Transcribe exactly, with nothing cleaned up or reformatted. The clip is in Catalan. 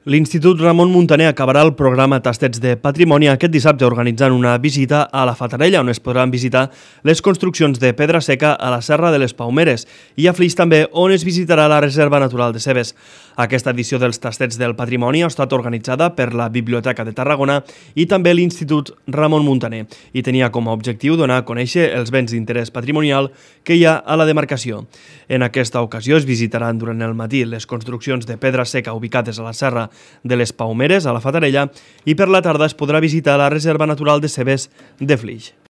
L'Institut Ramon Muntaner acabarà el programa Tastets de Patrimoni aquest dissabte organitzant una visita a la Fatarella, on es podran visitar les construccions de pedra seca a la Serra de les Paumeres, i a Flix també, on es visitarà la Reserva Natural de Cebes. Aquesta edició dels Tastets del Patrimoni ha estat organitzada per la Biblioteca de Tarragona i també l'Institut Ramon Muntaner i tenia com a objectiu donar a conèixer els béns d'interès patrimonial que hi ha a la demarcació. En aquesta ocasió es visitaran durant el matí les construccions de pedra seca ubicades a la Serra de les Paumeres, a la Fatarella, i per la tarda es podrà visitar la Reserva Natural de Cebes de Flix.